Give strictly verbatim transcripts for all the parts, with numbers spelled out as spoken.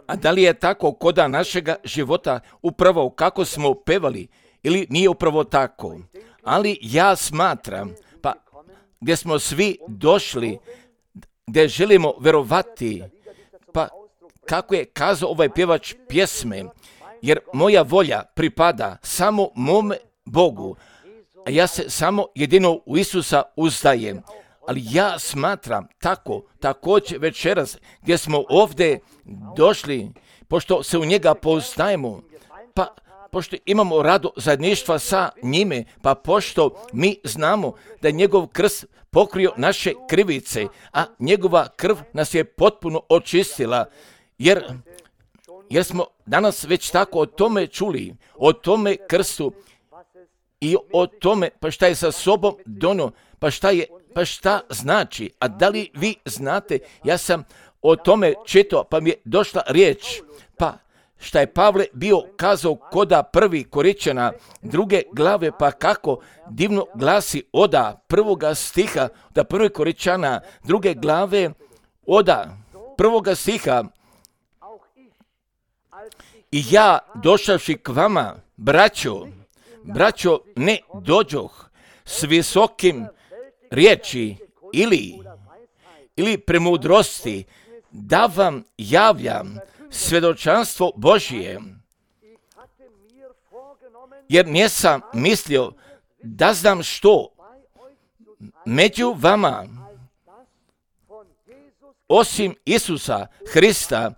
A da li je tako koda našega života upravo kako smo pevali ili nije upravo tako? Ali ja smatram, pa gdje smo svi došli, gdje želimo verovati, pa kako je kazao ovaj pjevač pjesme, jer moja volja pripada samo mome Bogu, a ja se samo jedino u Isusa uzdajem. Ali ja smatram tako, također večeras gdje smo ovdje došli, pošto se u njega poznajemo, pa pošto imamo rado zajedništva sa njime, pa pošto mi znamo da je njegov krst pokrio naše krivice, a njegova krv nas je potpuno očistila, jer, jer smo danas već tako o tome čuli, o tome krstu i o tome pa šta je sa sobom donio, pa šta je Pa šta znači? A da li vi znate? Ja sam o tome čitao, pa mi je došla riječ. Pa šta je Pavle bio kazao koda prvi Koričana druge glave, pa kako divno glasi oda prvoga stiha, da prvi Koričana druge glave, oda prvoga stiha. I ja došavši k vama, braćo, braćo, ne dođoh s visokim riječi ili, ili premudrosti, da vam javljam svjedočanstvo Božije, jer nisam mislio da znam što među vama, osim Isusa Hrista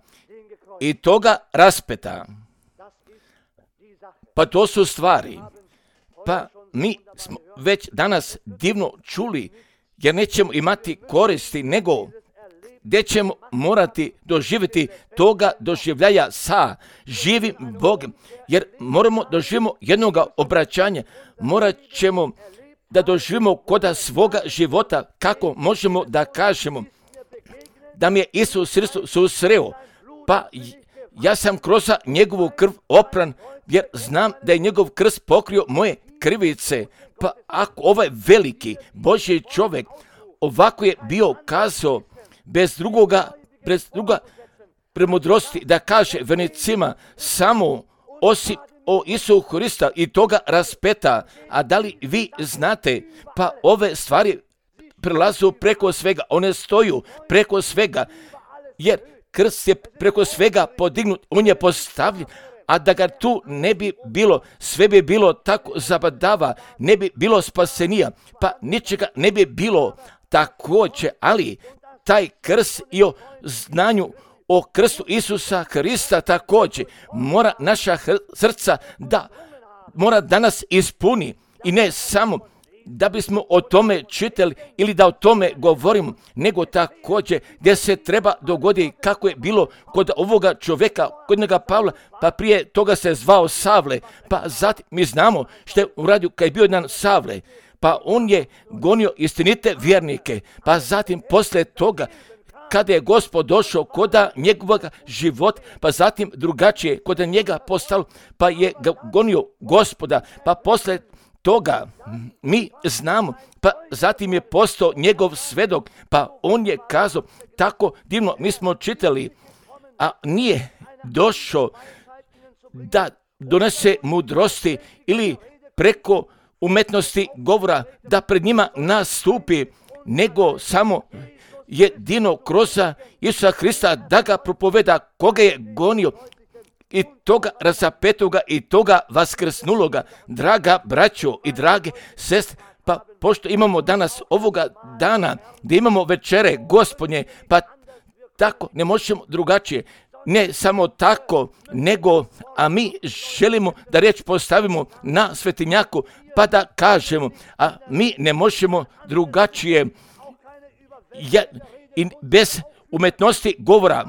i toga raspeta. Pa to su stvari. Pa mi smo već danas divno čuli, jer nećemo imati koristi, nego gdje ćemo morati doživjeti toga doživljaja sa živim Bogom, jer moramo doživimo jednoga obraćanja, morat ćemo da doživimo koda svoga života, kako možemo da kažemo da mi je Isus Hristos susreo, pa ja sam kroz njegovu krv opran, jer znam da je njegov krst pokrio moje krivice. Pa ako ovaj veliki Božji čovjek ovako je bio kazao bez drugoga, bez druga premudrosti, da kaže vernicima samo osim o Isusu Hrista i toga raspeta. A da li vi znate, pa ove stvari prelazu preko svega, one stoju preko svega, jer krst je preko svega podignut, on je postavljen, a da ga tu ne bi bilo, sve bi bilo tako zabadava, ne bi bilo spasenija, pa ničega ne bi bilo također, ali taj krst i o znanju o krstu Isusa Hrista također mora naša srca da, mora da nas ispuni i ne samo da bismo o tome čitali ili da o tome govorimo, nego također gdje se treba dogoditi kako je bilo kod ovoga čovjeka, kod njega Pavla, pa prije toga se zvao Savle, pa zatim mi znamo što je uradio kad je bio jedan Savle, pa on je gonio istinite vjernike, pa zatim poslije toga kada je Gospod došao koda njegovog života, pa zatim drugačije koda njega postalo, pa je gonio Gospoda, pa poslije toga mi znamo, pa zatim je postao njegov svedok, pa on je kazao tako divno, mi smo čitali, a nije došao da donese mudrosti ili preko umetnosti govora da pred njima nastupi, nego samo jedino kroz Isusa Hrista da ga propoveda koga je gonio i toga razapetoga i toga vaskrsnuloga. Draga braćo i drage sestre, pa pošto imamo danas ovoga dana gdje imamo večere Gospodnje, pa tako ne možemo drugačije. Ne samo tako, nego, a mi želimo da riječ postavimo na svetinjaku, pa da kažemo, a mi ne možemo drugačije, ja, i bez umetnosti govora,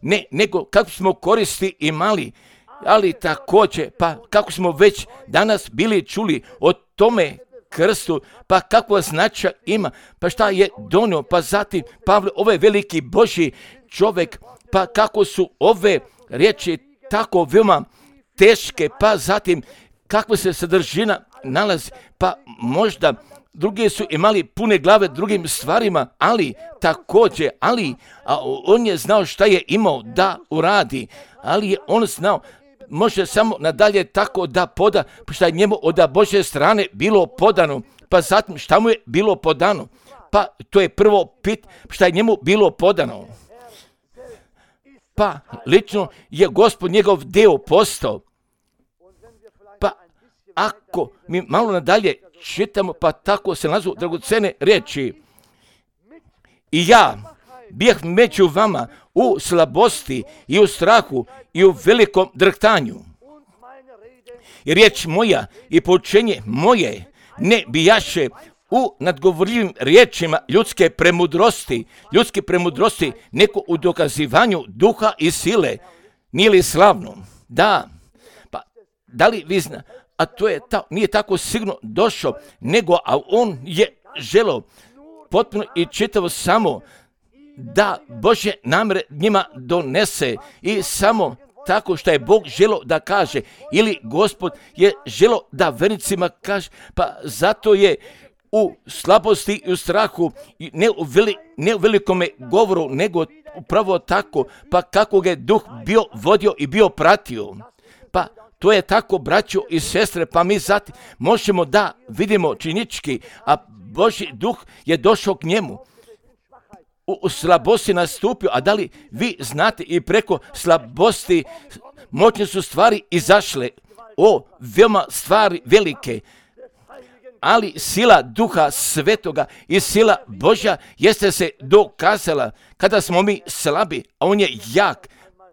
ne, nego kako smo koristi imali, ali također, pa kako smo već danas bili čuli o tome krstu, pa kakva značaj ima, pa šta je donio, pa zatim Pavle, ovaj veliki Božji čovjek, pa kako su ove riječi tako veoma teške, pa zatim kakva se sadržina nalazi, pa možda drugi su imali pune glave drugim stvarima, ali također, ali a on je znao šta je imao da uradi, ali je on znao, može samo nadalje tako da poda, šta je njemu od Božje strane bilo podano, pa zatim šta mu je bilo podano, pa to je prvo pit, šta je njemu bilo podano. Pa lično je Gospod njegov deo postao. Pa ako mi malo nadalje čitamo, pa tako se nazu dragocene riječi. I ja bijeh među vama u slabosti i u strahu i u velikom drhtanju. I riječ moja i poučenje moje ne bijaše u nadgovorljivim riječima ljudske premudrosti, ljudske premudrosti, neko u dokazivanju duha i sile. Nije li slavno? Da. Pa da li vi zna, a to je ta, nije tako sigurno došao, nego a on je želeo potpuno i čitavo samo da Božje namere njima donese i samo tako što je Bog želeo da kaže ili Gospod je želeo da vernicima kaže, pa zato je u slabosti i u strahu, ne u, veli, ne u velikome govoru, nego upravo tako, pa kako ga je duh bio vodio i bio pratio. Pa to je tako, braćo i sestre, pa mi zatim možemo da vidimo činički, a Božji duh je došao k njemu. U, u slabosti nastupio, a da li vi znate i preko slabosti moćne su stvari izašle, o, veoma stvari velike, ali sila Duha Svetoga i sila Božja jeste se dokazala kada smo mi slabi, a on je jak,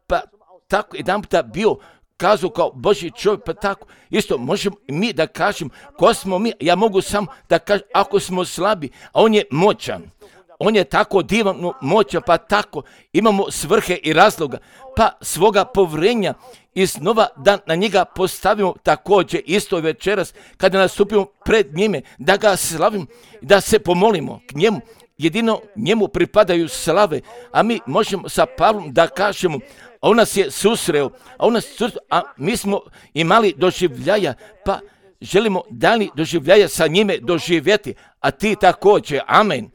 pa tako jedan puta bio kazao kao Božji čovjek, pa tako isto možemo mi da kažemo ko smo mi, ja mogu samo da kažem ako smo slabi, a on je moćan. On je tako divno moćan, pa tako imamo svrhe i razloga, pa svoga povrenja i snova da na njega postavimo također isto večeras kada nastupimo pred njime, da ga slavimo, da se pomolimo k njemu. Jedino njemu pripadaju slave, a mi možemo sa Pavlom da kažemo, a on nas je susreo, a on nas susreo, a mi smo imali doživljaja, pa želimo dalje doživljaja sa njime doživjeti, a ti također, amen.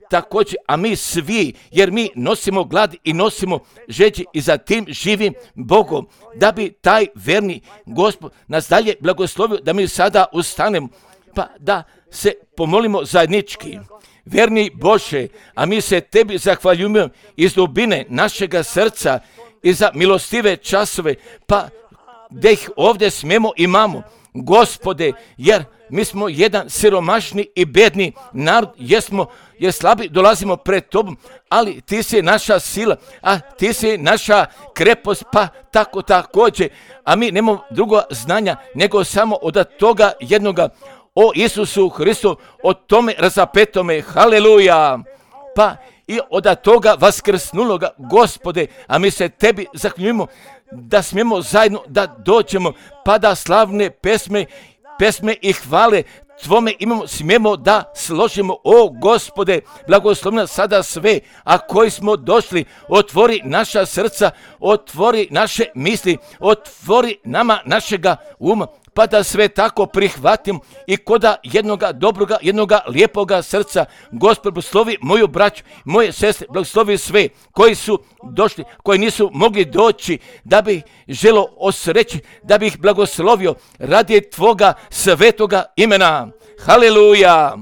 Također, a mi svi, jer mi nosimo glad i nosimo žeđi i za tim živim Bogom, da bi taj verni Gospod nas dalje blagoslovio, da mi sada ustanemo, pa da se pomolimo zajednički. Verni Bože, a mi se tebi zahvaljujemo iz dubine našega srca i za milostive časove, pa da ih ovdje smijemo imamo, Gospode, jer mi smo jedan siromašni i bedni narod, jesmo, jer slabi dolazimo pred tobom, ali ti si naša sila, a ti si naša krepost, pa tako također, a mi nemamo drugo znanja, nego samo od toga jednoga, o Isusu Hristu, o tome razapetome, haleluja, pa i od toga vaskrsnuloga, Gospode, a mi se tebi zahvaljujemo da smijemo zajedno da dođemo, pa da slavne pesme, pesme i hvale Tvome imamo, smijemo da složimo, o Gospode, blagoslovna sada sve, a koji smo došli, otvori naša srca, otvori naše misli, otvori nama našega uma, pa da sve tako prihvatim i koda jednoga dobroga, jednoga lijepoga srca. Gospod, blagoslovi moju braću, moje sestre, blagoslovi sve koji su došli, koji nisu mogli doći, da bi želo osreći, da bi ih blagoslovio radi Tvoga svetoga imena. Haleluja.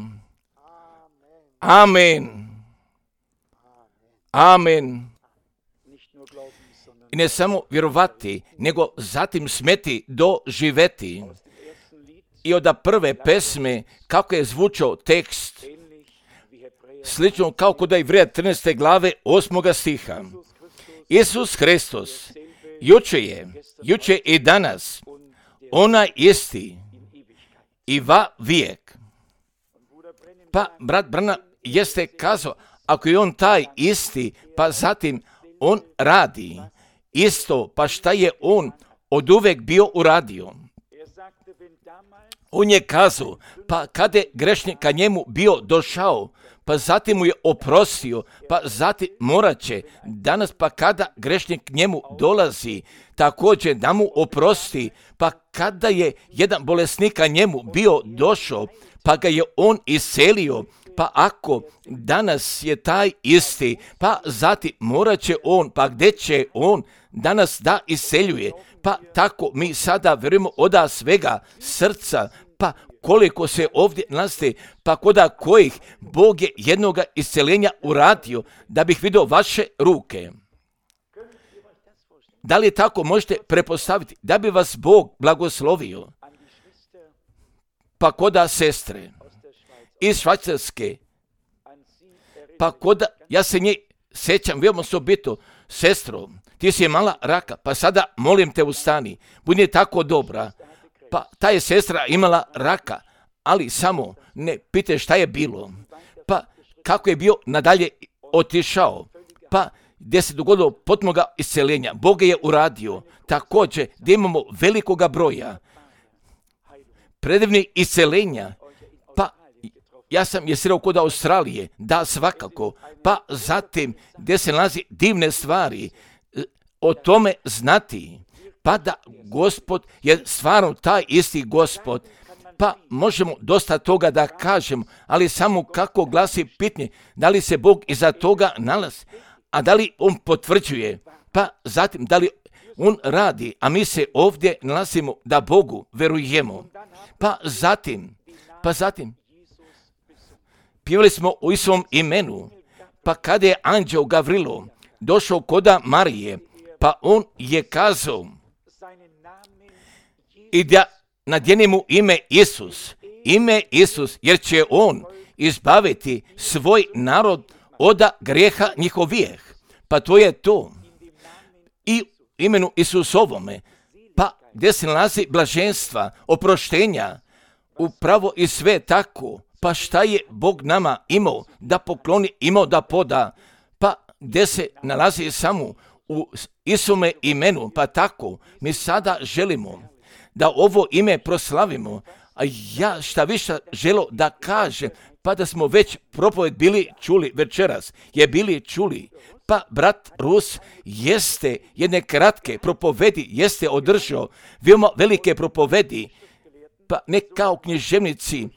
Amen. Amen. I ne samo vjerovati, nego zatim smeti doživeti. I od prve pesme, kako je zvučao tekst, slično kao kod Ivreja trinaeste glave osmoga stiha. Isus Hristos, juče je, juče i danas, onaj isti i va vijek. Pa brat Branham jeste kazao, ako je on taj isti, pa zatim on radi isto, pa šta je on od uvek bio uradio? On je kazao, pa kada je grešnik ka njemu bio došao, pa zatim mu je oprostio, pa zatim morat će danas, pa kada grešnik njemu dolazi, također da mu oprosti, pa kada je jedan bolesnika njemu bio došao, pa ga je on iselio, pa ako danas je taj isti, pa zatim morat će on, pa gdje će on danas da iseljuje, pa tako mi sada vjerujemo oda svega srca, pa koliko se ovdje nalazi, pa koda kojih Bog je jednoga isceljenja uradio, da bih vidio vaše ruke. Da li tako možete prepostaviti, da bi vas Bog blagoslovio? Pa koda sestre iz Švajcarske, pa koda, ja se nje sjećam, veoma osobito, sestro, ti si imala raka, pa sada molim te ustani, budi tako dobra. Pa ta je sestra imala raka, ali samo ne pitaj šta je bilo, pa kako je bio nadalje otišao, pa gdje se dogodilo potpunoga isceljenja. Bog je uradio također gdje imamo velikoga broja predivnih isceljenja. Pa ja sam je sreo kod Australije, da svakako, pa zatim gdje se nalazi divne stvari, o tome znati, pa da Gospod je stvarno taj isti Gospod, pa možemo dosta toga da kažemo, ali samo kako glasi pitanje, da li se Bog iza toga nalazi, a da li on potvrđuje, pa zatim da li on radi, a mi se ovdje nalazimo da Bogu verujemo, pa zatim, pa zatim, pjevali smo u Isusovom imenu, pa kada je anđeo Gavrilo došao koda Marije, pa on je kazao i da nadjeni mu ime Isus, ime Isus, jer će on izbaviti svoj narod od grijeha njihovih. Pa to je to. I imenu Isusovome, pa gdje se nalazi blaženstva, oproštenja, upravo i sve tako. Pa šta je Bog nama imao da pokloni, imao da poda, pa gdje se nalazi samo u Isusome imenu, pa tako mi sada želimo da ovo ime proslavimo, a ja šta više želo da kažem, pa da smo već propoved bili čuli večeras, je bili čuli, pa brat Rus jeste jedne kratke propovedi, jeste održao veoma velike propovedi, pa ne kao književnici,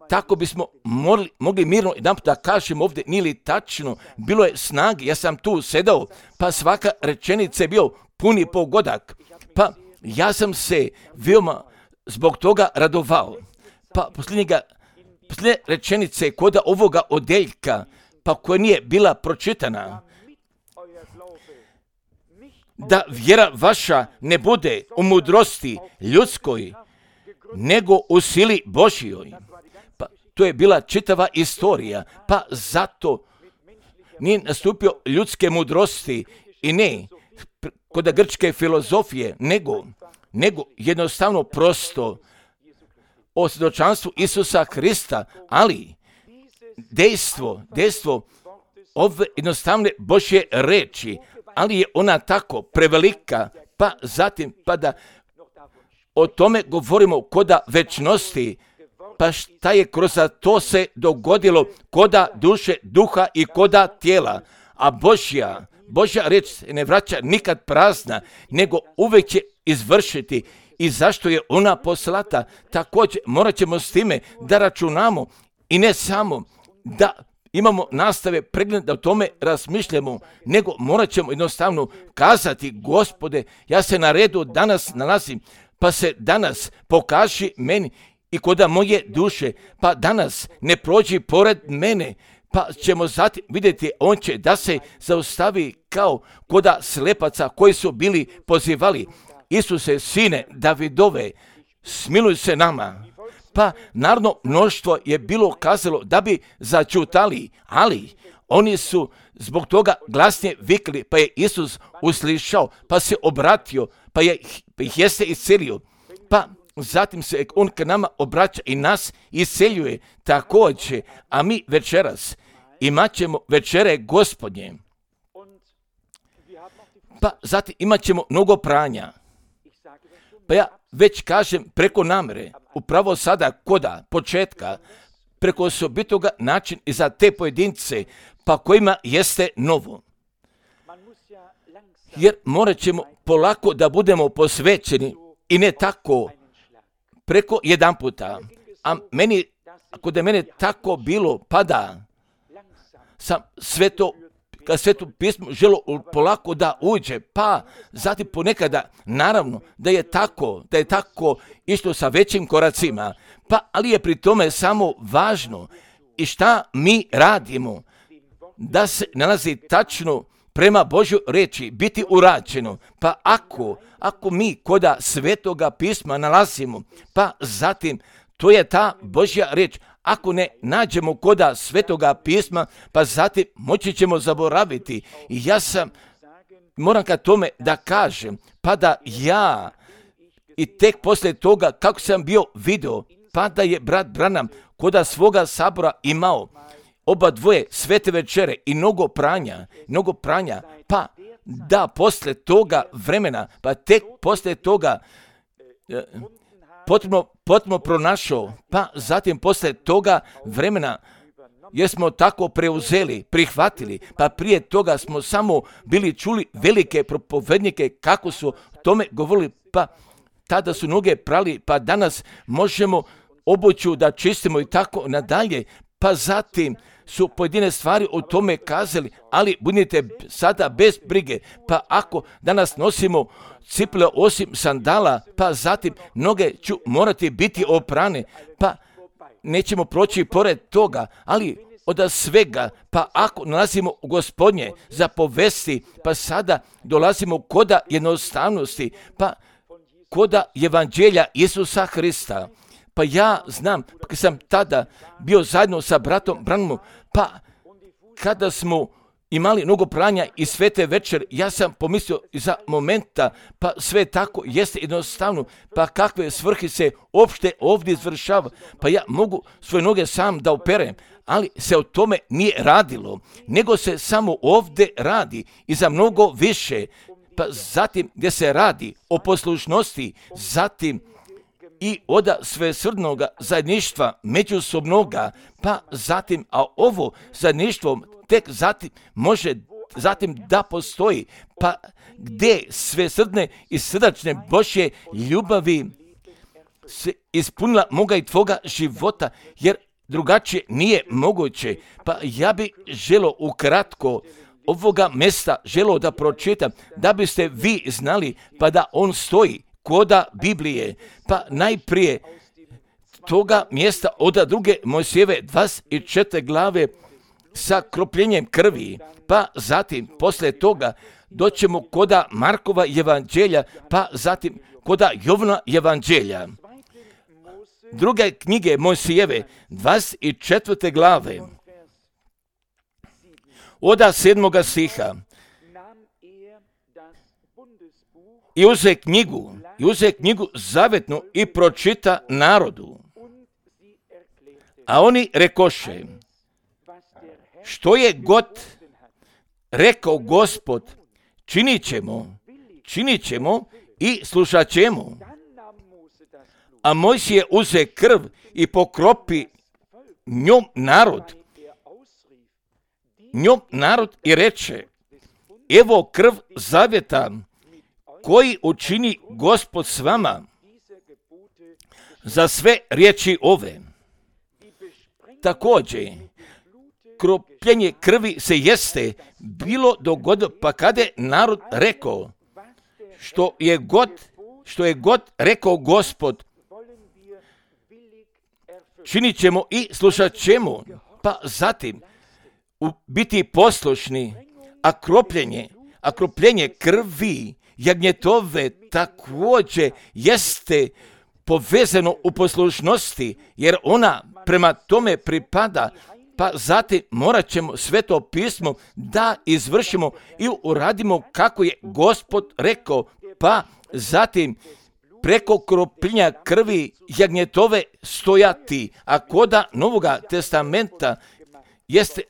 tako bismo mogli, mogli mirno jedan da kažem ovdje, nije li tačno, bilo je snage, ja sam tu sedao, pa svaka rečenica je bio puni pogodak, pa ja sam se veoma zbog toga radovao, pa posljednjega, posljednje rečenice koda ovoga odeljka, pa koja nije bila pročitana, da vjera vaša ne bude u mudrosti ljudskoj, nego u sili Božjoj. Pa to je bila čitava istorija, pa zato nije nastupio ljudske mudrosti i ne kod grčke filozofije, nego, nego jednostavno prosto o svjedočanstvu Isusa Krista, ali dejstvo, dejstvo ove jednostavne Božje reči, ali je ona tako prevelika, pa zatim pa da o tome govorimo koda večnosti, pa šta je kroz to se dogodilo koda duše, duha i koda tijela, a Božja, Božja reč se ne vraća nikad prazna, nego uvijek će izvršiti. I zašto je ona poslata? Također morat ćemo s time da računamo i ne samo da imamo nastave pregled da o tome razmišljamo, nego morat ćemo jednostavno kazati, Gospode, ja se na redu danas nalazim, pa se danas pokaži meni i koda moje duše, pa danas ne prođi pored mene, pa ćemo zatim vidjeti, on će da se zaustavi kao koda slepaca koji su bili pozivali, Isuse, sine Davidove, smiluj se nama. Pa narodno mnoštvo je bilo kazalo da bi začutali, ali oni su zbog toga glasnije vikli, pa je Isus uslišao, pa se obratio, pa je pa ih jeste iscelio. Pa zatim se on k nama obraća i nas isceljuje također, a mi večeras imat ćemo večere Gospodnje. Pa zatim imat ćemo mnogo pranja. Pa ja već kažem preko namere, upravo sada koda početka preko osobitoga način i za te pojedince, pa kojima jeste novo. Jer morat ćemo polako da budemo posvećeni i ne tako preko jedan puta. A meni, ako da je mene tako bilo, pa da sam sve to, kad sveto pismo želo polako da uđe, pa zatim ponekada, naravno, da je tako, da je tako išlo sa većim koracima, pa ali je pri tome samo važno i šta mi radimo, da se nalazi tačno prema Božjoj reči biti urađeno. Pa ako, ako mi koda svetoga pisma nalazimo, pa zatim to je ta Božja reč. Ako ne nađemo koda svetoga pisma, pa zatim moći ćemo zaboraviti. I ja sam, moram ka tome da kažem, pa da ja i tek poslije toga kako sam bio video, pa da je brat Branham koda svoga sabora imao oba dvoje svete večere i mnogo pranja, mnogo pranja, pa da poslije toga vremena, pa tek poslije toga eh, potpuno, potpuno pronašao, pa zatim poslije toga vremena jer smo tako preuzeli, prihvatili, pa prije toga smo samo bili čuli velike propovednike kako su tome govorili, pa tada su noge prali, pa danas možemo obuću da čistimo i tako nadalje, pa zatim su pojedine stvari o tome kazali, ali budite sada bez brige, pa ako danas nosimo cipele osim sandala, pa zatim noge ću morati biti oprane, pa nećemo proći pored toga, ali od svega, pa ako nalazimo u Gospodnje za povesti, pa sada dolazimo koda jednostavnosti, pa koda evanđelja Isusa Hrista. Pa ja znam, kad sam tada bio zajedno sa bratom Branhamom, pa kada smo imali mnogo pranja i svete večer, ja sam pomislio za momenta, pa sve tako jeste jednostavno, pa kakve svrhe se uopšte ovdje izvršava, pa ja mogu svoje noge sam da operem, ali se o tome nije radilo, nego se samo ovdje radi i za mnogo više, pa zatim gdje se radi o poslušnosti, zatim i oda svesrdnoga zajedništva međusobnoga, pa zatim, a ovo zajedništvo tek zatim može zatim da postoji, pa gdje svesrdne i srdačne Božje ljubavi se ispunila moga i tvoga života, jer drugačije nije moguće. Pa ja bi želo ukratko ovoga mjesta želo da pročitam, da biste vi znali, pa da on stoji koda Biblije, pa najprije toga mjesta od druge Mojsijeve dvadeset četvrte glave sa kropljenjem krvi, pa zatim poslije toga doćemo koda Markova evanđelja, pa zatim koda Jovna evanđelja. Druge knjige Mojsijeve dvadeset četvrte glave od sedmoga stiha. I uze knjigu, i uze knjigu zavetnu i pročita narodu. A oni rekoše, što je god rekao Gospod, činit ćemo, činit ćemo i slušat ćemo. A Mojsije uze krv i pokropi njom narod, njom narod i reče, evo krv zavjeta, koji učini Gospod s vama za sve riječi ove. Također, kropljenje krvi se jeste bilo dogodilo, pa kada je narod rekao, što je god, što je god rekao Gospod, činit ćemo i slušat ćemo, pa zatim biti poslušni, a kropljenje, a kropljenje krvi jagnjetove također jeste povezano u poslušnosti, jer ona prema tome pripada, pa zatim morat ćemo sveto pismo da izvršimo i uradimo kako je Gospod rekao, pa zatim preko kropljenja krvi jagnjetove stojati, a koda Novoga testamenta jeste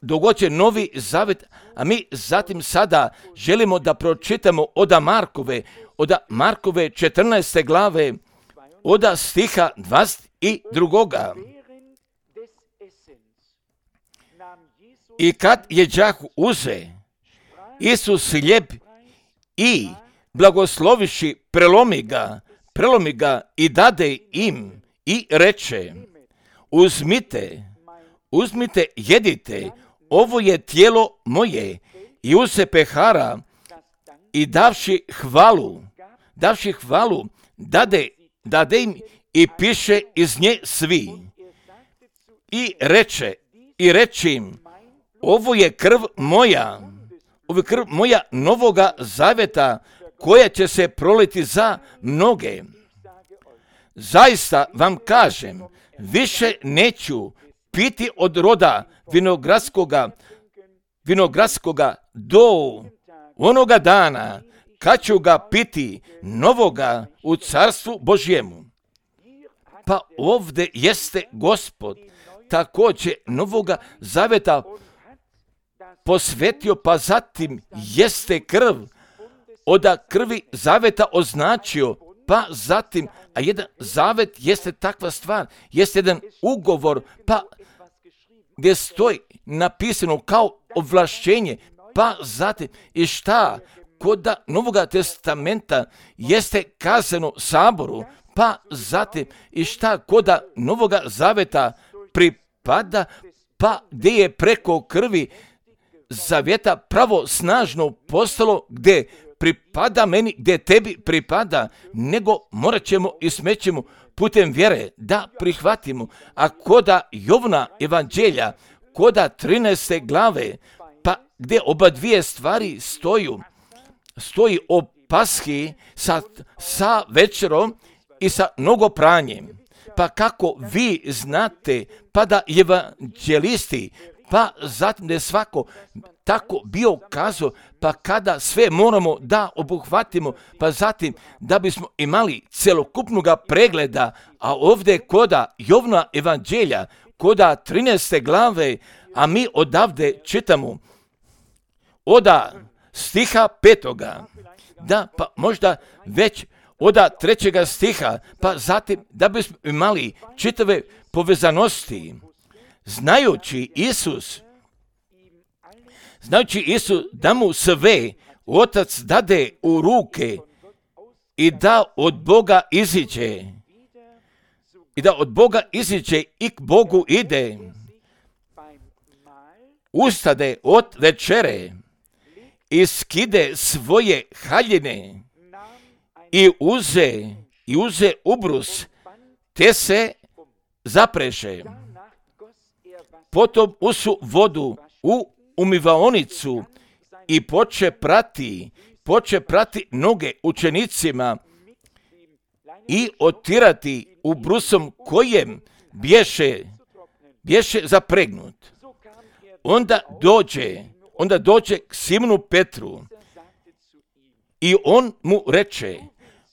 dogođen Novi Zavet, a mi zatim sada želimo da pročitamo od Markove, od Markove četrnaeste glave, od stiha dvadeset drugoga. I kad je đaku uze, Isus hljeb i blagosloviši prelomi ga, prelomi ga i dade im i reče, uzmite, uzmite, jedite, ovo je tijelo moje. I uze pehara i davši hvalu, davši hvalu, dade, dade im i piše iz nje svi. I reče, i reče im, ovo je krv moja, ovo je krv moja novoga zaveta, koja će se proliti za mnoge. Zaista vam kažem, više neću piti od roda vinogradskoga, vinogradskoga do onoga dana kad ću ga piti novoga u carstvu Božjemu. Pa ovdje jeste Gospod također novoga zaveta posvetio, pa zatim jeste krv od krvi zaveta označio, pa zatim, a jedan zavet jeste takva stvar, jeste jedan ugovor, pa gdje stoji napisano kao ovlašćenje, pa zatim i šta kod Novoga testamenta jeste kazano saboru, pa zatim i šta kod Novoga zaveta pripada, pa gdje je preko krvi zavjeta pravo snažno postalo, gdje pripada meni, gdje tebi pripada, nego morat ćemo i smećemo putem vjere da prihvatimo. A koda Jovna evanđelja, koda trinaeste glave, pa gdje oba dvije stvari stoju, stoji o pashi sa, sa večerom i sa mnogopranjem. Pa kako vi znate, pa da evanđelisti, pa zatim da je svako tako bio kazao, pa kada sve moramo da obuhvatimo, pa zatim da bismo imali celokupnog pregleda, a ovdje koda Jovna evanđelja, koda trinaeste glave, a mi odavde čitamo oda stiha petoga, da pa možda već oda trećega stiha, pa zatim da bismo imali čitave povezanosti, znajući Isus, znajući Isus da mu sve Otac dade u ruke i da od Boga iziđe, i da od Boga iziđe i k Bogu ide, ustade od večere i skide svoje haljine i uze, i uze ubrus, te se zapreše. Potom usu vodu u umivaonicu i poče prati, poče prati noge učenicima i otirati ubrusom kojem bješe, bješe zapregnut. Onda dođe, onda dođe k Simonu Petru i on mu reče,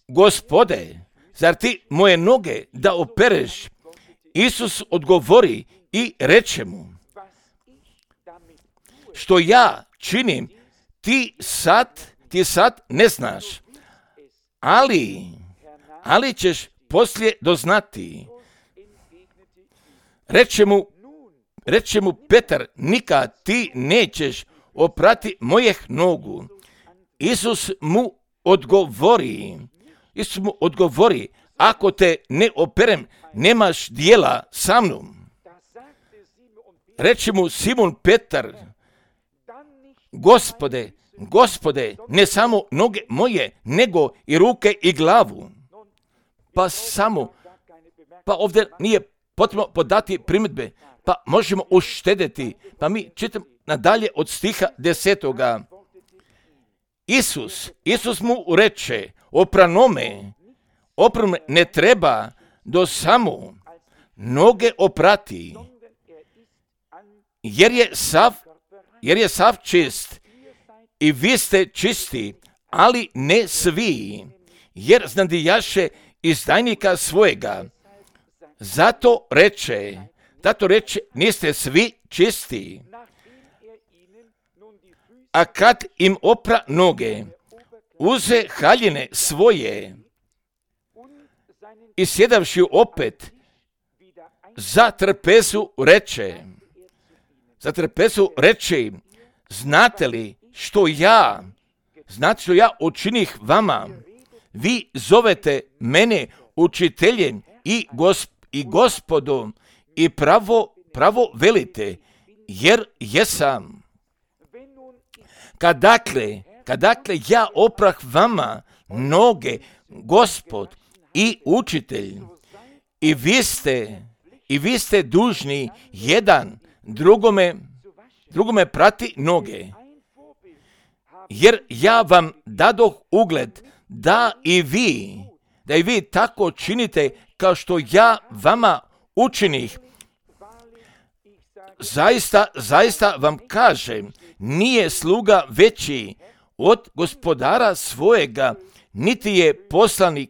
Gospode, zar ti moje noge da opereš? Isus odgovori i reče mu, što ja činim, ti sad, ti sad ne znaš, ali, ali ćeš poslije doznati. Reče mu, reče mu Petar, nikad ti nećeš oprati mojih nogu. Isus mu odgovori, Isus mu odgovori, ako te ne operem, nemaš dijela sa mnom. Reče mu Simon Petar, Gospode, Gospode, ne samo noge moje, nego i ruke i glavu. Pa samo, pa ovdje nije potrebno podati primjedbe, pa možemo uštedeti. Pa mi čitamo nadalje od stiha desetoga. Isus, Isus mu reče, opranome, opranome ne treba do samo noge oprati, jer je sav, jer je sav čist i vi ste čisti, ali ne svi, jer znadijaše izdajnika svojega. Zato reče, zato reče, niste svi čisti. A kad im opra noge, uze haljine svoje i sjedavši opet za trpezu reče, zatrpesu reći, znate li što ja, znate što ja učinih vama? Vi zovete mene učiteljem i, gosp, i gospodom i pravo, pravo velite, jer jesam. Kad dakle, kad dakle ja oprah vama noge, gospod i učitelj, i vi ste, i vi ste dužni jedan drugome, drugome prati noge, jer ja vam dadoh ugled da i vi, da i vi tako činite kao što ja vama učinih. Zaista, zaista vam kažem, nije sluga veći od gospodara svojega, niti je poslanik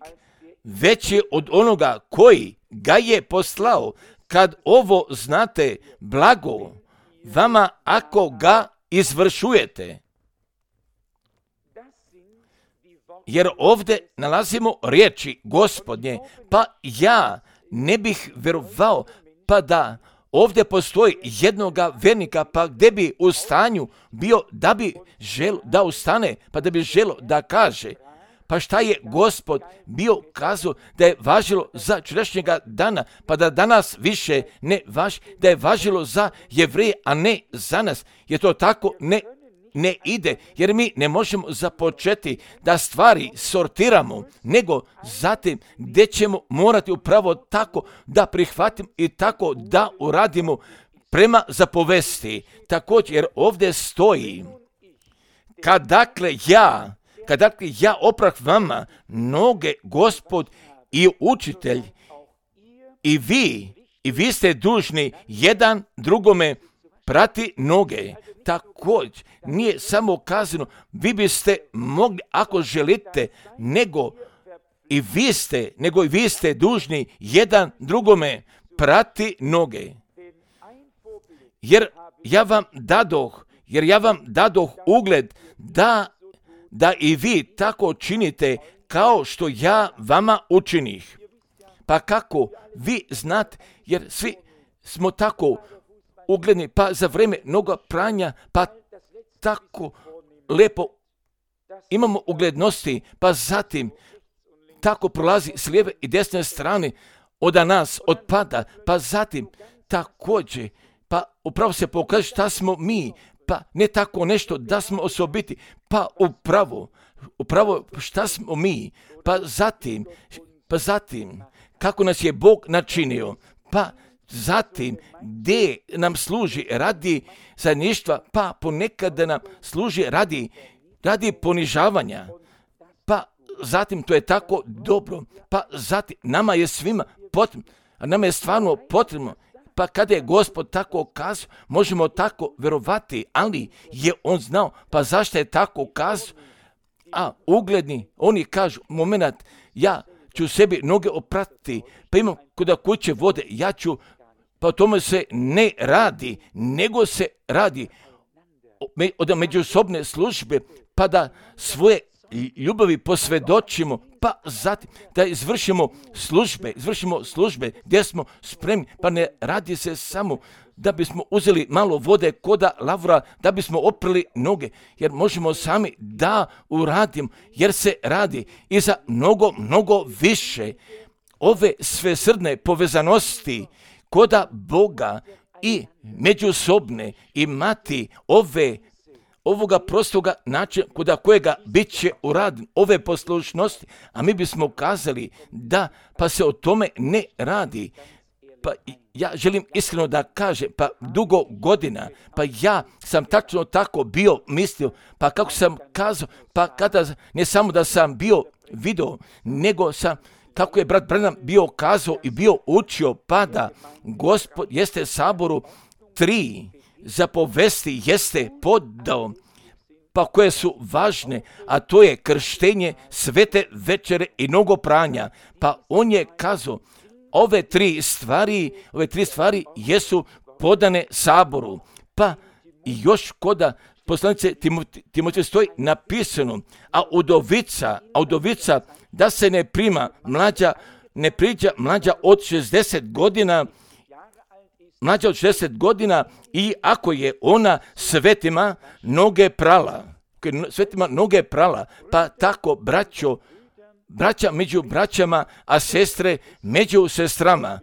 veći od onoga koji ga je poslao. Kad ovo znate, blago vama ako ga izvršujete. Jer ovdje nalazimo riječi Gospodnje, pa ja ne bih vjerovao pa da ovdje postoji jednoga vernika, pa gdje bi u stanju bio da bi želo da ustane, pa da bi želo da kaže, pa šta je Gospod bio kazao da je važilo za jučerašnjega dana, pa da danas više ne važi, da je važilo za Jevreje, a ne za nas, jer to tako ne ne ide, jer mi ne možemo započeti da stvari sortiramo, nego zatim gdje ćemo morati upravo tako da prihvatimo i tako da uradimo prema zapovesti. Također, jer ovdje stoji, kad dakle ja, kad dakle ja oprah vama noge, gospod i učitelj, i vi, i vi ste dužni jedan drugome prati noge. Također, nije samo kazano, vi biste mogli, ako želite, nego i vi ste, nego i vi ste dužni jedan drugome prati noge. Jer ja vam dadoh, jer ja vam dadoh ugled da, da i vi tako činite kao što ja vama učinih. Pa kako vi znate, jer svi smo tako ugledni, pa za vrijeme mnogo pranja, pa tako lepo imamo uglednosti, pa zatim tako prolazi s lijeve i desne strane od nas odpada, pa zatim također, pa upravo se pokaže šta smo mi, pa ne tako nešto da smo osobiti, pa upravo, upravo šta smo mi, pa zatim, pa zatim kako nas je Bog načinio, pa zatim, gdje nam služi radi zajedništva, pa ponekad nam služi radi, radi ponižavanja, pa zatim to je tako dobro, pa zatim nama je svima potrebno, a nama je stvarno potrebno, pa kada je Gospod tako kazao, možemo tako vjerovati, ali je on znao, pa zašto je tako kazao, a ugledni, oni kažu, moment, ja ću sebi noge oprati, pa imam kuda kuće vode, ja ću, pa o tome se ne radi, nego se radi od međusobne službe, pa da svoje ljubavi posvjedočimo, pa zatim da izvršimo službe, izvršimo službe gdje smo spremni, pa ne radi se samo da bismo uzeli malo vode koda lavra, da bismo oprali noge, jer možemo sami da uradimo, jer se radi i za mnogo, mnogo više ove svesrdne povezanosti koda Boga i međusobne imati ove ovoga prostoga načina koda kojega bit će uraden, ove poslušnosti, a mi bismo kazali da pa se o tome ne radi. Pa ja želim iskreno da kažem, pa dugo godina, pa ja sam tačno tako bio mislio, pa kako sam kazao, pa kada ne samo da sam bio video, nego sam, kako je brat Branham bio kazao i bio učio, pa da Gospod jeste saboru tri zapovesti jeste podao, pa koje su važne, a to je krštenje, svete večere i mnogo pranja. Pa on je kazao, ove tri stvari, ove tri stvari jesu podane saboru. Pa i još koda poslanice Timotije stoji napisano, a udovica, a udovica da se ne prima mlađa, ne priđa mlađa od šezdeset godina, mlađa od šezdeset godina i ako je ona svetima noge prala, svetima noge prala, pa tako braćo, braća među braćama, a sestre među sestrama.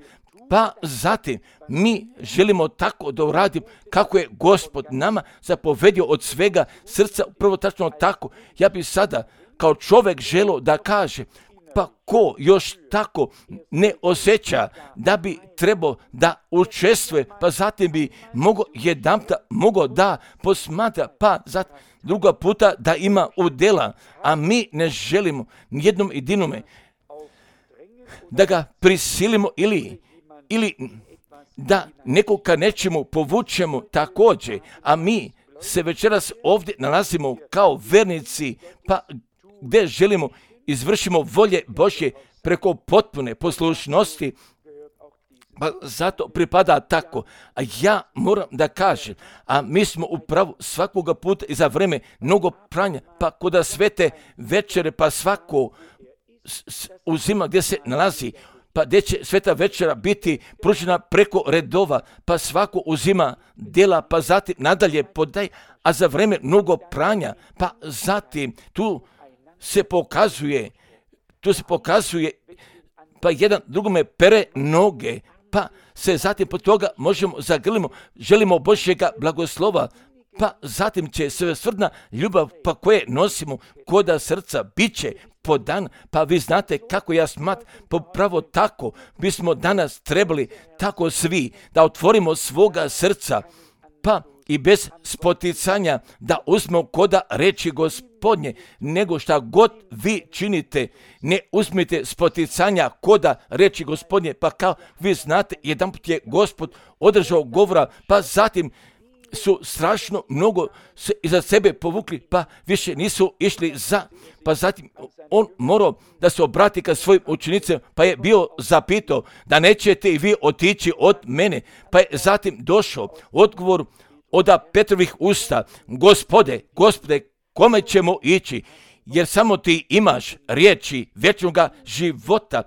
Pa zatim mi želimo tako da uradimo kako je Gospod nama zapovedio od svega srca, upravo tačno tako. Ja bih sada kao čovjek želio da kaže, pa ko još tako ne osjeća da bi trebao da učestvuje, pa zatim bi mogao jedanputa mogao da posmatra, pa zatim druga puta da ima udjela, a mi ne želimo nijednom jedinome da ga prisilimo ili, ili da nekog ka nečemu povučemo također, a mi se večeras ovdje nalazimo kao vernici, pa gdje želimo izvršimo volje Božje preko potpune poslušnosti, pa zato pripada tako. A ja moram da kažem, a mi smo upravo svakoga puta i za vreme mnogo pranja, pa kod svete večere, pa svako uzima gdje se nalazi, pa gdje će sveta večera biti pružena preko redova, pa svako uzima djela, pa zatim nadalje podaj, a za vreme mnogo pranja, pa zatim tu se pokazuje, tu se pokazuje, pa jedan drugome pere noge, pa se zatim po toga možemo zagrlimo, želimo Božjega blagoslova, pa zatim će svesrdna ljubav pa koje nosimo koda srca bit će podan, pa vi znate kako ja smat, popravo tako bismo danas trebali tako svi da otvorimo svoga srca, pa i bez spoticanja da uzmemo koda reči Gospodnje, nego šta god vi činite, ne uzmite spoticanja koda reči Gospodnje, pa kao vi znate, jedanput je Gospod održao govora, pa zatim su strašno mnogo se iza sebe povukli, pa više nisu išli za, pa zatim on morao da se obrati ka svojim učenicima, pa je bio zapitao da nećete i vi otići od mene, pa je zatim došao odgovor od Petrovih usta, Gospode, Gospode, kome ćemo ići, jer samo ti imaš riječi vječnoga života.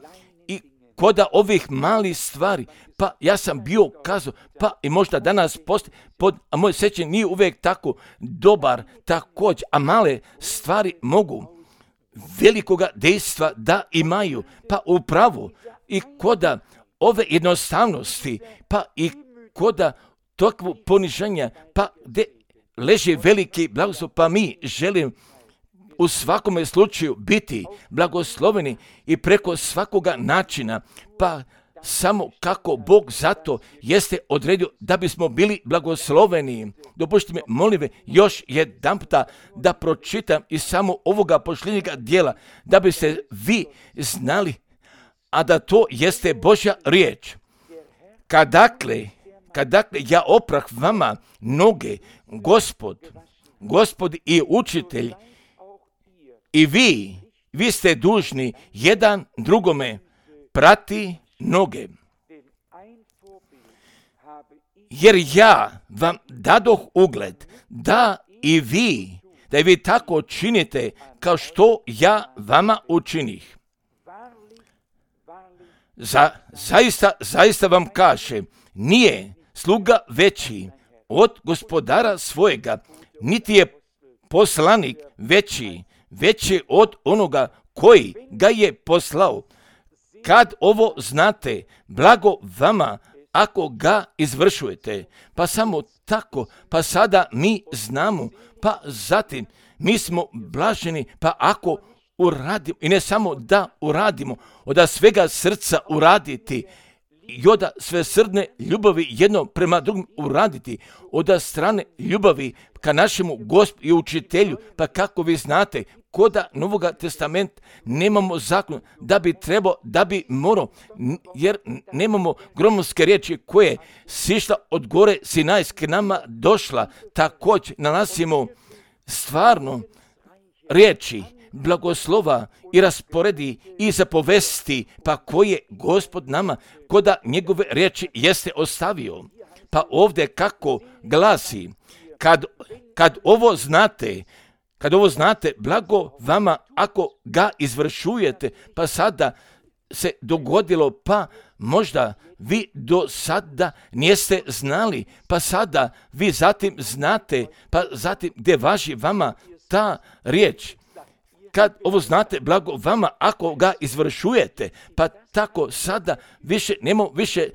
I koda ovih malih stvari, pa ja sam bio kazao, pa i možda danas postoji, pod, a moje sjećanje nije uvijek tako dobar, također, a male stvari mogu velikoga dejstva da imaju, pa upravo i koda ove jednostavnosti, pa i koda takvo poniženja, pa gdje leži veliki blagoslov, pa mi želim u svakome slučaju biti blagosloveni i preko svakoga načina, pa samo kako Bog zato jeste odredio da bismo bili blagosloveni. Dopustite mi, molim, još jedan puta da pročitam iz samo ovoga posljednjega dijela, da biste vi znali, a da to jeste Božja riječ. Kad dakle, kad dakle ja oprah vama noge, Gospod, Gospod i učitelj, i vi, vi ste dužni jedan drugome prati noge. Jer ja vam dadoh ugled da i vi, da i vi tako činite kao što ja vama učinih. Za, zaista, zaista vam kažem, nije sluga veći od gospodara svojega, niti je poslanik veći, veći od onoga koji ga je poslao. Kad ovo znate, blago vama ako ga izvršujete. Pa samo tako, pa sada mi znamo, pa zatim mi smo blaženi, pa ako uradimo, i ne samo da uradimo, od svega srca uraditi, i od svesrdne ljubavi jedno prema drugom uraditi, od strane ljubavi ka našemu Gospodu i učitelju, pa kako vi znate, koda Novoga testamenta nemamo zakon da bi trebao, da bi morao, jer nemamo gromovske riječi koje sišla od gore Sinajske nama došla, također nalazimo stvarno riječi blagoslova i rasporedi i zapovesti, pa koje Gospod nama koda njegove riječi jeste ostavio. Pa ovdje kako glasi, kad, kad ovo znate, kad ovo znate, blago vama ako ga izvršujete, pa sada se dogodilo, pa možda vi do sada niste znali, pa sada vi zatim znate, pa zatim gdje važi vama ta riječ. Kad ovo znate, blago vama ako ga izvršujete, pa tako sada više nemamo više,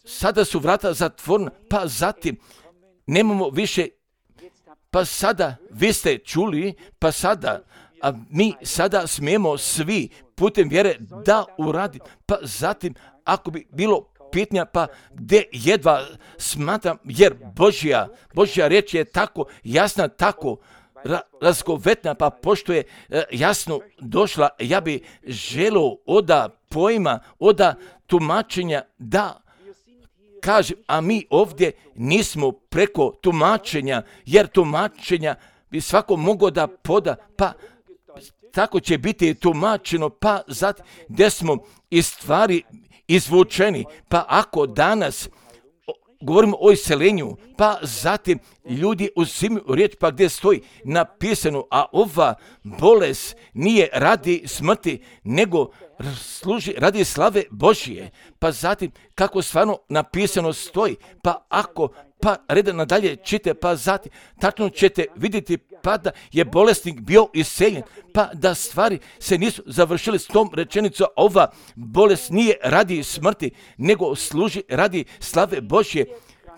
sada su vrata zatvorena, pa zatim nemamo više, pa sada vi ste čuli, pa sada, a mi sada smijemo svi putem vjere da uradi, pa zatim ako bi bilo pitanja, pa gdje jedva smatram, jer Božja, Božja riječ je tako jasna, tako ra, razgovetna, pa pošto je e, jasno došla, ja bi želio oda pojma, oda tumačenja da kažem, a mi ovdje nismo preko tumačenja, jer tumačenja bi svako mogao da poda, pa tako će biti tumačeno, pa zatim gdje smo iz stvari izvučeni, pa ako danas govorimo o iseljenju, pa zatim ljudi uzimaju riječ, pa gdje stoji napisano, a ova bolest nije radi smrti, nego služi radi slave Božije, pa zatim kako stvarno napisano stoji, pa ako pa reda nadalje čite, pa zatim tačno ćete vidjeti pa da je bolesnik bio iseljen, pa da stvari se nisu završile s tom rečenicom, ova bolest nije radi smrti, nego služi radi slave Božje.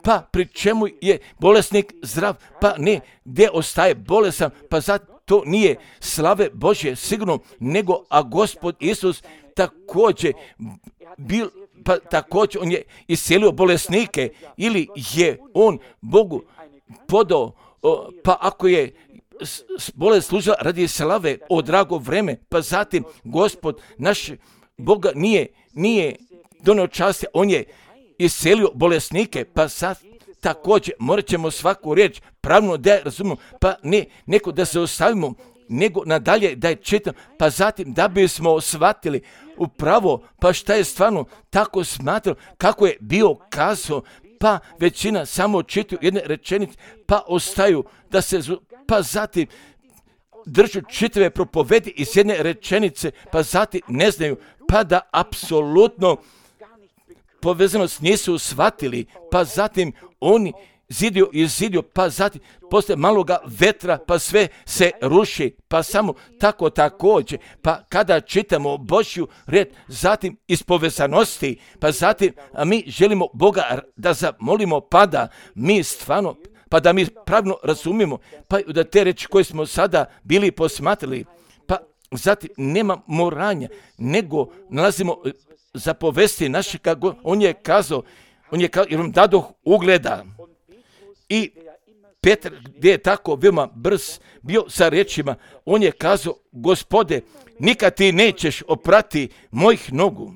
Pa pri čemu je bolesnik zdrav, pa ne, gdje ostaje bolesan, pa zato to nije slave Božje sigurno, nego a Gospod Isus također bil, pa također on je iscelio bolesnike, ili je on Bogu podao, pa ako je bolest služila radi slave o drago vreme, pa zatim Gospod naš Boga nije, nije donio časti, on je iscelio bolesnike, pa sad također morat ćemo svaku riječ pravno da je razumimo, pa ne neko da se ostavimo, nego nadalje da je čitam, pa zatim da bismo shvatili upravo, pa šta je stvarno tako smatrao, kako je bio kazao, pa većina samo čitaju jedne rečenice, pa ostaju da se, pa zatim držu čitave propovedi iz jedne rečenice, pa zatim ne znaju, pa da apsolutno povezanost nisu shvatili, pa zatim oni zidio i zidio, pa zatim posle maloga vetra, pa sve se ruši, pa samo tako također, pa kada čitamo Božju riječ, zatim iz povezanosti, pa zatim a mi želimo Boga da zamolimo, pa da mi stvarno, pa da mi pravilno razumijemo, pa da te reči koje smo sada bili posmatrali, pa zatim nema moranja, nego nalazimo zapovesti naše, kako on je kazao, on je kazao, jer vam dadoh ugleda. I Petar, gdje je tako veoma brz bio sa riječima, on je kazao, Gospode, nikad ti nećeš oprati mojih nogu.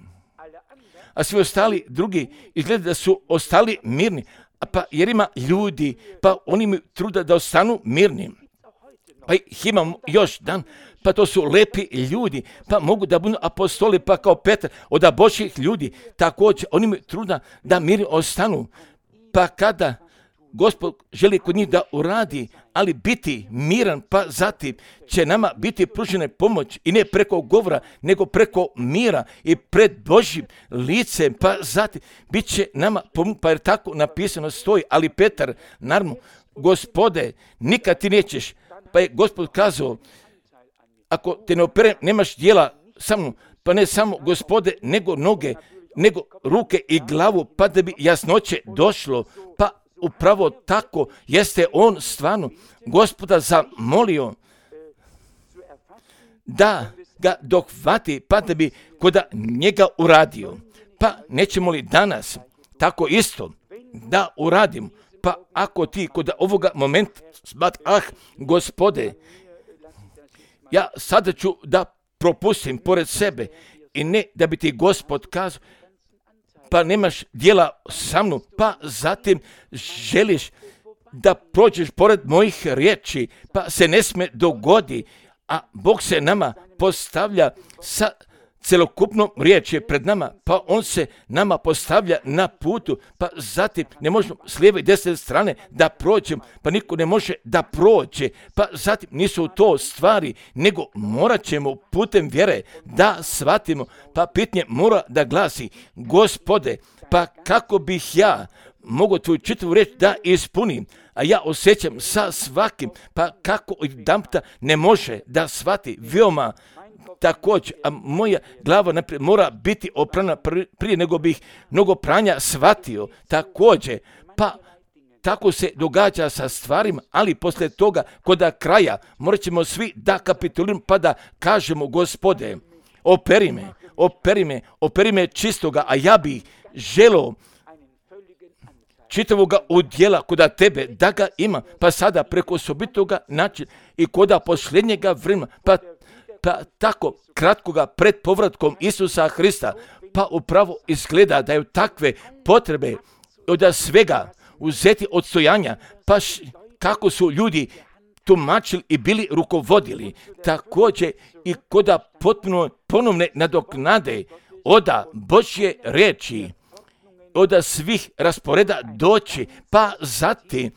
A svi ostali drugi izgleda da su ostali mirni, a pa jer ima ljudi, pa oni imaju truda da ostanu mirni. Pa ih imamo još dan, pa to su lepi ljudi, pa mogu da budu apostoli, pa kao Petar, od Božjih ljudi, također oni imaju truda da mirni ostanu, pa kada Gospod želi kod njih da uradi, ali biti miran, pa zatim će nama biti pružena pomoć i ne preko govora, nego preko mira i pred Božjim licem, pa zatim bit će nama pomoć, pa jer tako napisano stoji, ali Petar, naravno, Gospode, nikad ti nećeš, pa je Gospod kazao, ako te ne operem, nemaš dijela sa mnom, pa ne samo Gospode, nego noge, nego ruke i glavu, pa da bi jasnoće došlo, pa upravo tako jeste on stvarno Gospoda zamolio da ga dohvati, pa da bi kod njega uradio. Pa nećemo li danas tako isto da uradim, pa ako ti kod ovoga momenta smat, ah, Gospode, ja sada ću da propustim pored sebe i ne da bi ti Gospod kazao, pa nemaš dijela sa mnom, pa zatim želiš da prođeš pored mojih riječi, pa se ne sme dogodi, a Bog se nama postavlja sa celokupnom riječ je pred nama, pa on se nama postavlja na putu, pa zatim ne možemo s lijeve i desne strane da prođemo, pa niko ne može da prođe, pa zatim nisu to stvari, nego morat ćemo putem vjere da shvatimo, pa pitanje mora da glasi, Gospode, pa kako bih ja mogu tvoju čitavu riječ da ispunim, a ja osjećam sa svakim, pa kako jedanputa ne može da shvati veoma također, a moja glava naprijed mora biti oprana prije nego bih mnogo pranja shvatio također, pa tako se događa sa stvarima, ali poslije toga kod kraja morat ćemo svi da kapituliramo pa da kažemo, Gospode, operi me, operi me, operi me čistoga, a ja bih želio čitavoga udjela koda tebe, da ga ima, pa sada preko osobitoga načina i koda posljednjega vremena, pa, pa tako kratkoga pred povratkom Isusa Hrista, pa upravo izgleda da je takve potrebe od svega uzeti odstojanja, pa š, kako su ljudi tumačili i bili rukovodili, također i koda potpuno ponovne nadoknade oda Božje riječi, od svih rasporeda doći, pa zatim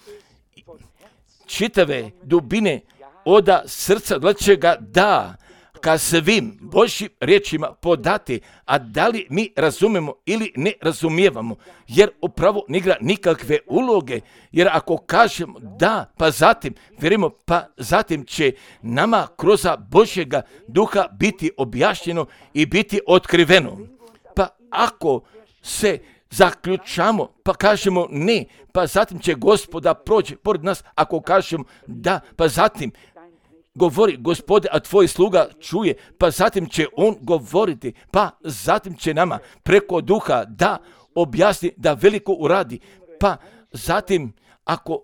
čitave dubine oda srca dlačega da ka svim Božjim riječima podati, a da li mi razumemo ili ne razumijevamo, jer upravo ne igra nikakve uloge, jer ako kažemo da, pa zatim vjerujemo, pa zatim će nama kroz Božjega duha biti objašnjeno i biti otkriveno. Pa ako se zaključamo, pa kažemo ne, pa zatim će Gospoda proći pored nas, ako kažemo da, pa zatim govori, Gospode, a tvoj sluga čuje, pa zatim će on govoriti, pa zatim će nama preko duha da objasni, da veliko uradi, pa zatim ako,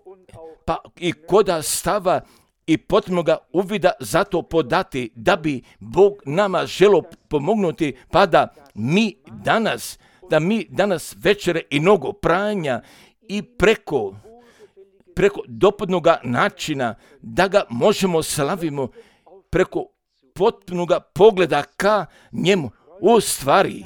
pa i koda stava i potrebnoga uvida zato podati, da bi Bog nama želio pomognuti, pa da mi danas da mi danas večere i mnogo pranja i preko, preko dopadnoga načina da ga možemo slavimo preko potpunoga pogleda ka njemu, u stvari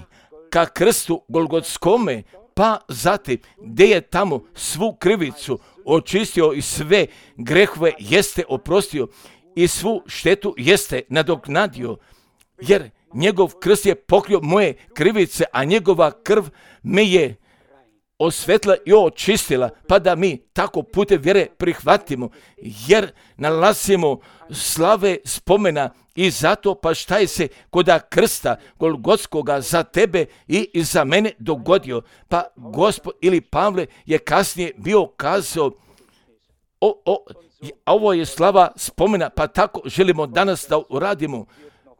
ka krstu Golgotskome, pa zatim gdje je tamo svu krivicu očistio i sve grehove jeste oprostio i svu štetu jeste nadoknadio, jer njegov krst je pokrio moje krivice, a njegova krv me je osvetla i očistila, pa da mi tako putem vjere prihvatimo, jer nalazimo slave spomena i zato pa šta je se koda krsta Golgotskoga za tebe i za mene dogodio. Pa Gospod ili Pavle je kasnije bio kazao, o, o, ovo je slava spomena, pa tako želimo danas da uradimo.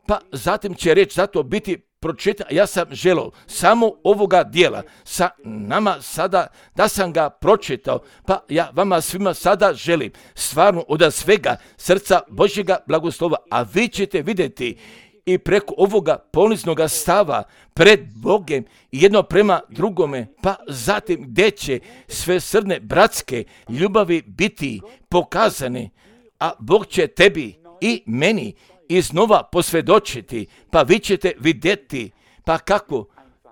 Pa zatim će reći zato biti pročitana, ja sam želio samo ovoga dijela sa nama sada da sam ga pročitao, pa ja vama svima sada želim stvarno od svega srca Božjega blagoslova, a vi ćete vidjeti i preko ovoga poniznoga stava pred Bogem jedno prema drugome, pa zatim gdje će sve srne bratske ljubavi biti pokazane, a Bog će tebi i meni iznova posvjedočiti, pa vi ćete vidjeti, pa kako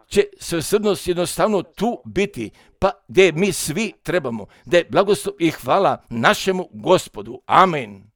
će svesrdnost jednostavno tu biti, pa gdje mi svi trebamo, da je blagoslov i hvala našemu Gospodu. Amen.